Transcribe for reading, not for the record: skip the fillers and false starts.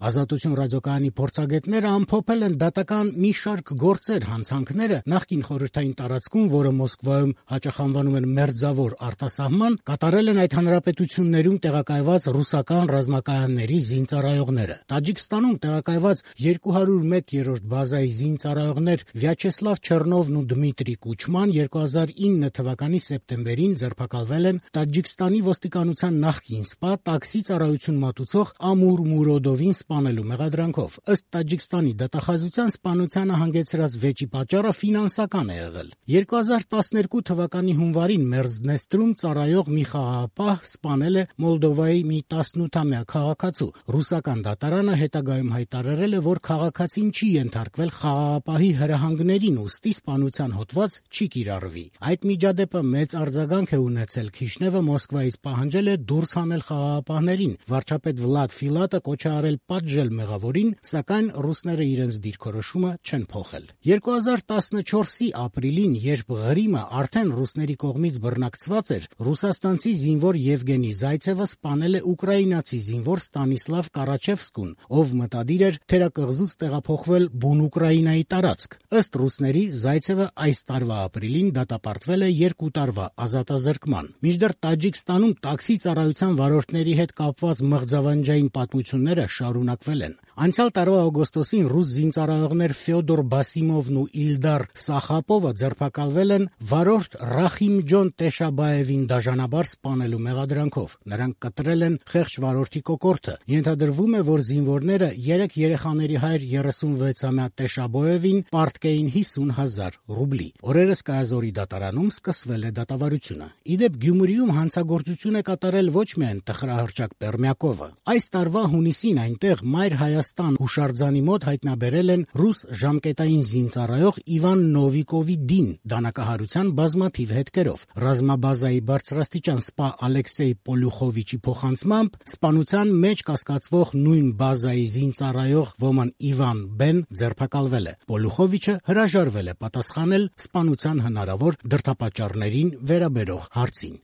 Ազատություն ռադիոկայանի փորձագետները ամփոփել են դատական մի շարք գործեր, հանցանքները նախկին խորհրդային տարածքում, որը Մոսկվայում հաճախ անվանում են մերձավոր արտասահման, կատարել են այդ հանրապետություններում տեղակայված ռուսական ռազմակայանների զինծառայողները։ Տաջիկստանում տեղակայված 201-րդ բազայի զինծառայողներ Վյաչեսլավ Չեռնովն ու Դմիտրի Կուչման 2009 թվականի սեպտեմբերին ձերբակալվել են Տաջիկստանի ոստիկանության նախկին սպա տաքսի ծառայություն մատուցող Ամուր Մուրոդովին սպանելու մեղադրանքով։ Ըստ Տաջիկստանի դատախազության սպանությանը հանգեցրած վեճի պատճառը ֆինանսական է եղել։ 2012 թվականի հունվարին Մերձդնեստրում ծառայող մի խաղաղապահ սպանել է Մոլդովայի մի 18-ամյա քաղաքացու։ Ռուսական դատարանը հետագայում հայտարարել է, որ քաղաքացին չի ենթարկվել խաղաղապահի հրահանգներին, ուստի սպանության հոդված չի կիրառվի։ Այդ միջադեպը մեծ արձագանք է ունեցել։ Քիշնևը Մոսկվայից պահանջել է դուրս հանել խաղաղապահներին։ Վարչապետ Վլադ Ֆիլատը կոչ է արել պատժել մեղավորին, սակայն ռուսները իրենց դիրքորոշումը չեն փոխել։ 2014-ի ապրիլին, երբ Ղրիմը արդեն ռուսների կողմից բռնակցված էր, ռուսաստանցի զինվոր Եվգենի Զայցևը սպանել է ուկրաինացի զինվոր Ստանիսլավ Կարաչևսկուն, ով մտադիր էր թերակղզուց տեղափոխվել բուն Ուկրաինայի տարածք։ Ըստ ռուսների, Զայցևը այս տարվա ապրիլին դատապարտվել է 2 տարվա ազատազրկման։ Մինչդեռ Տաջիկստանում տաքսի ծառայության վարորդների հետ կապված մղձավանջային պատմությունները շարունակվել են։ Անցյալ տարվա օգոստոսին ռուս զինծառայողներ Ֆյոդոր Բասիմովն ու Իլդար Սախապովը ձերբակալվել են վարորդ Ռախիմջոն Տեշաբաևին դաժանաբար սպանելու մեղադրանքով։ Նրանք կտրել են խեղճ վարորդի կոկորդը։ Ենթադրվում է, որ զինվորները 3 երեխաների հայր 36-ամյա Տեշաբոևին պարտկեին 50,000 ռուբլի։ Օրերս Կայազորի դատարանում սկսվել է դատավարությունը։ Իդեպ Գյումրիում հանցագործություն է կատարել ոչ միայն տխրահռչակ Պերմյակովը։ Այս տարվա հունիսին այնտեղ Մայր Հայաստան հուշարձանի մոտ հայտնաբերել են ռուս ժամկետային զինծառայող Իվան Նովիկովի դին դանակահարության բազմաթիվ հետքերով։ Ռազմաբազայի բարձրաստիճան սպա Ալեքսեյ Պոլյուխովիչի փոխանցմամբ սպանության մեջ կասկածվող նույն բազայի զինծառայող ոման Իվան Բեն ձերբակալվել է։ Պոլյուխովիչը հրաժարվել է պատասխանել սպանության հնարավոր դրդապատճառներին վերաբերող հարցին։